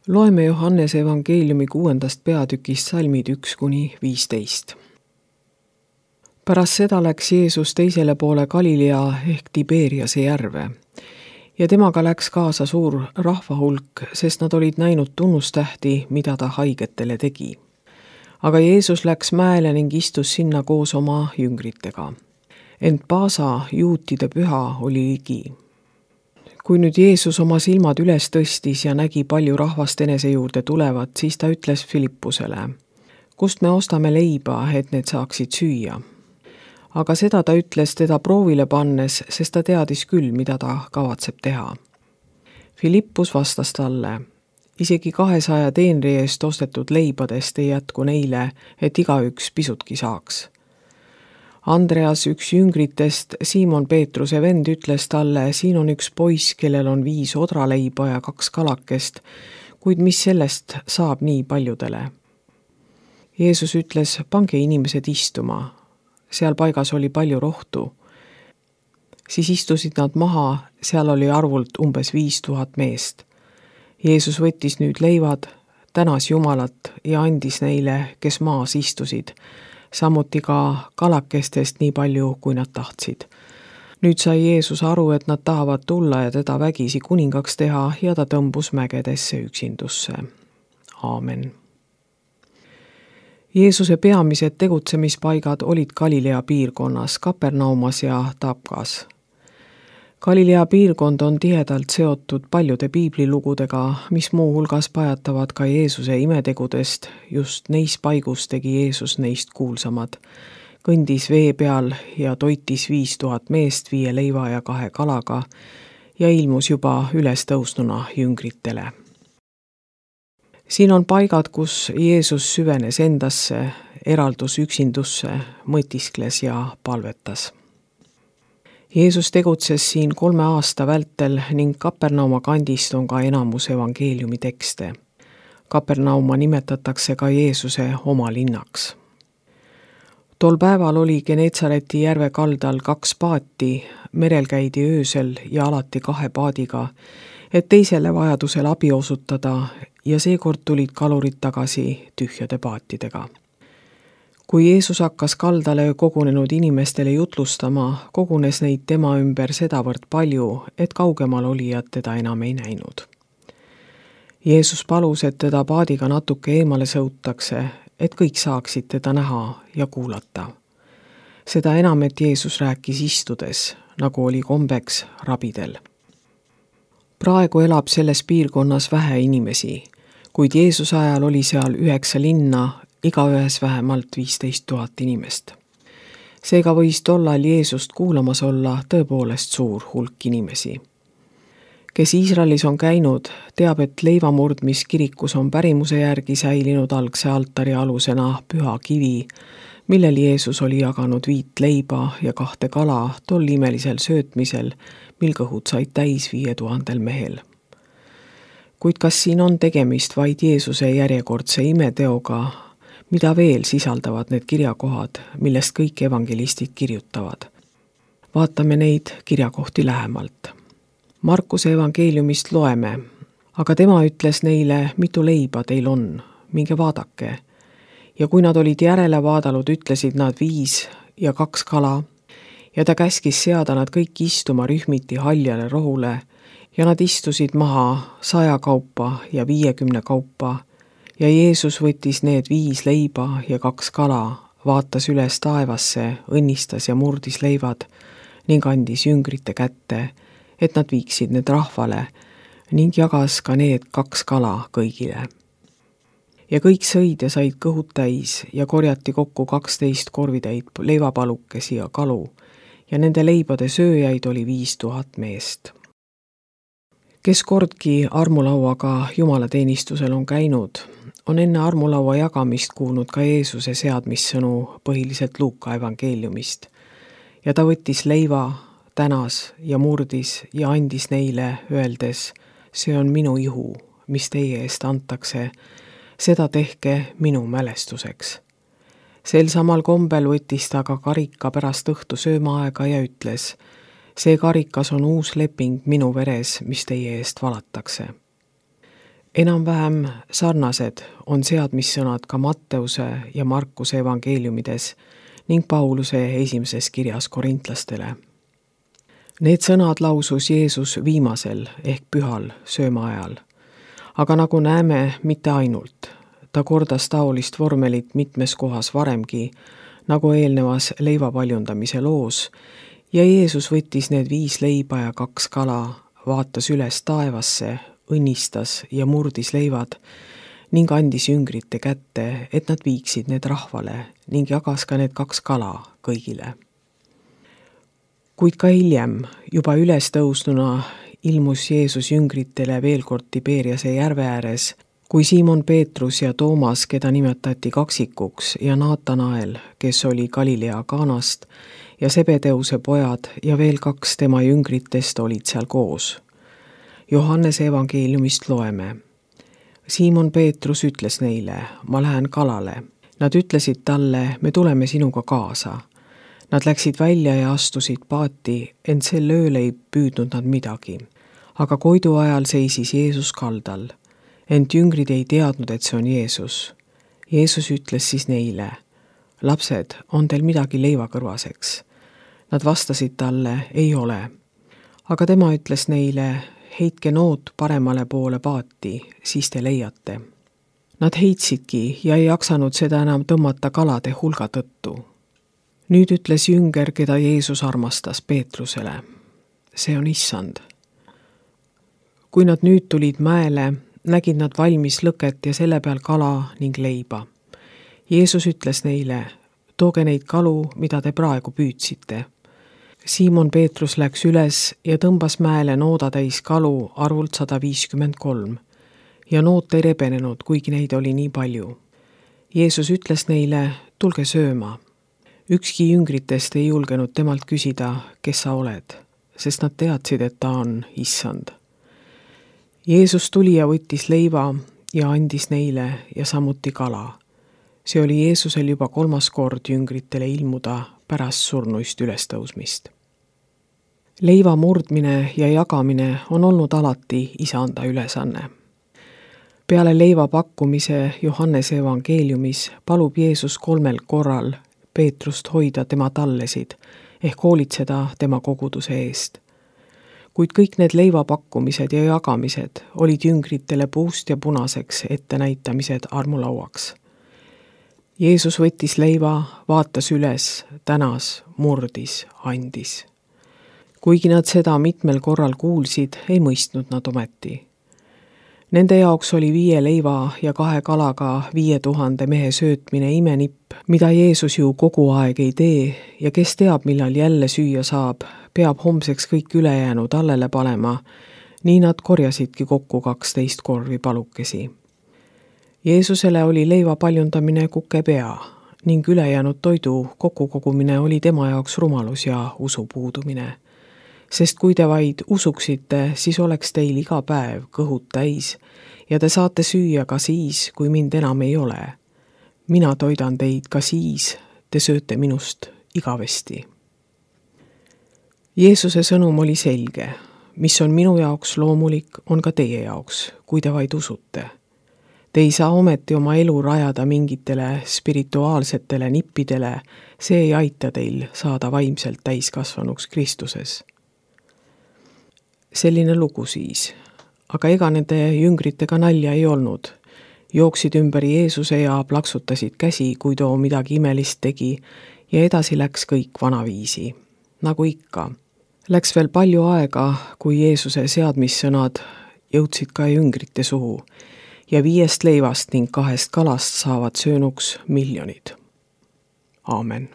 Loeme Johannese evangeeliumi 6. peatükist salmid 1–15. Pärast seda läks Jeesus teisele poole Galilea ehk Tiberiase järve ja temaga läks kaasa suur rahvahulk, sest nad olid näinud tunnustähti, mida ta haigetele tegi. Aga Jeesus läks mäele ning istus sinna koos oma jüngritega. Ent Paasa, juutide püha, oli ligi. Kui nüüd Jeesus oma silmad üles tõstis ja nägi palju rahvast enese juurde tulevat, siis ta ütles Filippusele: kust me ostame leiba, et need saaksid süüa? Aga seda ta ütles teda proovile pannes, sest ta teadis küll, mida ta kavatseb teha. Filippus vastas talle: isegi 200 teenri eest ostetud leibadest ei jätku neile, et igaüks pisutki saaks. Andreas, üks jüngritest, Siimon Peetruse vend, ütles talle: siin on üks poiss, kellel on 5 odraleiba ja 2 kalakest, kuid mis sellest saab nii paljudele? Jeesus ütles: pange inimesed istuma. Seal paigas oli palju rohtu. Siis istusid nad maha, seal oli arvult umbes 5000 meest. Jeesus võttis nüüd leivad, tänas Jumalat ja andis neile, kes maas istusid, samuti ka kalakestest nii palju, kui nad tahtsid. Nüüd sai Jeesus aru, et nad tahavad tulla ja teda vägisi kuningaks teha, ja ta tõmbus mägedesse üksindusse. Aamen. Jeesuse peamised tegutsemispaigad olid Galilea piirkonnas, Kapernaumas ja Tabkas. Galilea piirkond on tihedalt seotud paljude piiblilugudega, mis muu hulgas pajatavad ka Jeesuse imetegudest. Just neis paigus tegi Jeesus neist kuulsamad. Kõndis vee peal ja toitis 5000 meest 5 leiva ja 2 kalaga ja ilmus juba üles tõusnuna jüngritele. Siin on paigad, kus Jeesus süvenes endasse, eraldus üksindusse, mõtiskles ja palvetas. Jeesus tegutses siin 3 aasta vältel ning Kapernauma kandist on ka enamus evangeeliumi tekste. Kapernauma nimetatakse ka Jeesuse oma linnaks. Tol päeval oli Geneetsareti järve kaldal 2 paati, merel käidi öösel ja alati 2 paadiga, et teisele vajadusel abi osutada, ja seekord tulid kalurid tagasi tühjade paatidega. Kui Jeesus hakkas kaldale kogunenud inimestele jutlustama, kogunes neid tema ümber sedavõrd palju, et kaugemal olijad teda enam ei näinud. Jeesus palus, et teda paadiga natuke eemale sõutakse, et kõik saaksid teda näha ja kuulata. Seda enam, et Jeesus rääkis istudes, nagu oli kombeks rabidel. Praegu elab selles piirkonnas vähe inimesi, kuid Jeesuse ajal oli seal 9 linna, igaühes vähemalt 15 000 inimest. Seega võis tollal Jeesust kuulamas olla tõepoolest suur hulk inimesi. Kes Iisraelis on käinud, teab, et leivamurdmiskirikus on pärimuse järgi säilinud algse altari alusena püha kivi, millel Jeesus oli jaganud 5 leiba ja 2 kala tol imelisel söötmisel, mil kõhud said täis 5000 mehel. Kuid kas siin on tegemist vaid Jeesuse järjekordse imeteoga, mida veel sisaldavad need kirjakohad, millest kõik evangelistid kirjutavad? Vaatame neid kirjakohti lähemalt. Markuse evangeeliumist loeme: aga tema ütles neile, mitu leiba teil on, minge vaadake. Ja kui nad olid järele vaadanud, ütlesid nad 5 ja 2 kala, ja ta käskis seada nad kõik istuma rühmiti haljale rohule, ja nad istusid maha 100 kaupa ja 50 kaupa, ja Jeesus võttis need 5 leiba ja 2 kala, vaatas üles taevasse, õnnistas ja murdis leivad ning andis jüngrite kätte, et nad viiksid need rahvale, ning jagas ka need 2 kala kõigile. Ja kõik sõid ja said kõhud täis ja korjati kokku 12 korvitäit leivapalukesi ja kalu, ja nende leibade sööjaid oli 5000 meest. Kes kordki armulauaga jumalateenistusel on käinud, on enne armulaua jagamist kuulnud ka Jeesuse seadmissõnu põhiliselt Luuka evangeeliumist. Ja ta võttis leiva, tänas ja murdis ja andis neile, öeldes: see on minu ihu, mis teie eest antakse, seda tehke minu mälestuseks. Sel samal kombel võttis ta ka karika pärast õhtu söömaaega ja ütles: see karikas on uus leping minu veres, mis teie eest valatakse. enam-vähem sarnased on seadmissõnad ka Matteuse ja Markuse evangeeliumides ning Pauluse esimeses kirjas korintlastele. Need sõnad lausus Jeesus viimasel ehk pühal söömaajal. Aga nagu näeme, mitte ainult. Ta kordas taolist vormelit mitmes kohas varemgi, nagu eelnevas leivapaljundamise loos, ja Jeesus võttis need 5 leiba ja 2 kala, vaatas üles taevasse, õnnistas ja murdis leivad ning andis jüngrite kätte, et nad viiksid need rahvale ning jagas ka need 2 kala kõigile. Kuid ka hiljem, juba üles tõusnuna, ilmus Jeesus jüngritele veel kord Tiberiase järve ääres, kui Siimon Peetrus ja Toomas, keda nimetati kaksikuks, ja Naatanael, kes oli Galilea Kaanast, ja Sebedeuse pojad ja veel 2 tema jüngritest olid seal koos. Johannese evangeeliumist loeme. Siimon Peetrus ütles neile, ma lähen kalale. Nad ütlesid talle, me tuleme sinuga kaasa. Nad läksid välja ja astusid paati, ent sel ööl ei püüdnud nad midagi. Aga koidu ajal seisis Jeesus kaldal. Ent jüngrid ei teadnud, et see on Jeesus. Jeesus ütles siis neile, lapsed, on teil midagi leivakõrvaseks? Nad vastasid talle, ei ole. Aga tema ütles neile, heitke noot paremale poole paati, siis te leiate. Nad heitsidki ja ei jaksanud seda enam tõmmata kalade hulga tõttu. Nüüd ütles jünger, keda Jeesus armastas Peetrusele. See on issand. Kui nad nüüd tulid mäele, nägid nad valmis lõket ja selle peal kala ning leiba. Jeesus ütles neile, tooge neid kalu, mida te praegu püüdsite. Siimon Peetrus läks üles ja tõmbas mäele noodatäis kalu arvult 153 ja noot ei rebenenud, kuigi neid oli nii palju. Jeesus ütles neile, tulge sööma. Ükski jüngritest ei julgenud temalt küsida, kes sa oled, sest nad teadsid, et ta on issand. Jeesus tuli ja võttis leiva ja andis neile ja samuti kala. See oli Jeesusel juba 3. kord jüngritele ilmuda pärast surnuist ülestõusmist. Leiva murdmine ja jagamine on olnud alati isanda ülesanne. Peale leiva pakkumise Johannese evangeeliumis palub Jeesus 3 korral Peetrust hoida tema tallesid ehk hoolitseda tema koguduse eest. Kuid kõik need leivapakkumised ja jagamised olid jüngritele puust ja punaseks ettenäitamised armulauaks. Jeesus võttis leiva, vaatas üles, tänas, murdis, andis. Kuigi nad seda mitmel korral kuulsid, ei mõistnud nad ometi. Nende jaoks oli 5 leiva ja 2 kalaga 5000 mehe söötmine imenipp, mida Jeesus ju kogu aeg ei tee ja kes teab, millal jälle süüa saab, peab homseks kõik ülejäänud allele panema, nii nad korjasidki kokku 12 korvi palukesi. Jeesusele oli leiva paljundamine kukepea ning ülejäänud toidu kokkukogumine oli tema jaoks rumalus ja usu puudumine. Sest kui te vaid usuksite, siis oleks teil iga päev kõhud täis ja te saate süüa ka siis, kui mind enam ei ole. Mina toidan teid ka siis, te sööte minust igavesti. Jeesuse sõnum oli selge. Mis on minu jaoks loomulik, on ka teie jaoks, kui te vaid usute. Te ei saa ometi oma elu rajada mingitele spirituaalsetele nippidele, see ei aita teil saada vaimselt täiskasvanuks Kristuses. Selline lugu siis, aga ega nende jüngritega nalja ei olnud. Jooksid ümber Jeesuse ja plaksutasid käsi, kui too midagi imelist tegi ja edasi läks kõik vanaviisi. Nagu ikka. Läks veel palju aega, kui Jeesuse seadmissõnad jõudsid ka jüngrite suhu ja 5 leivast ning 2 kalast saavad söönuks miljonid. Aamen.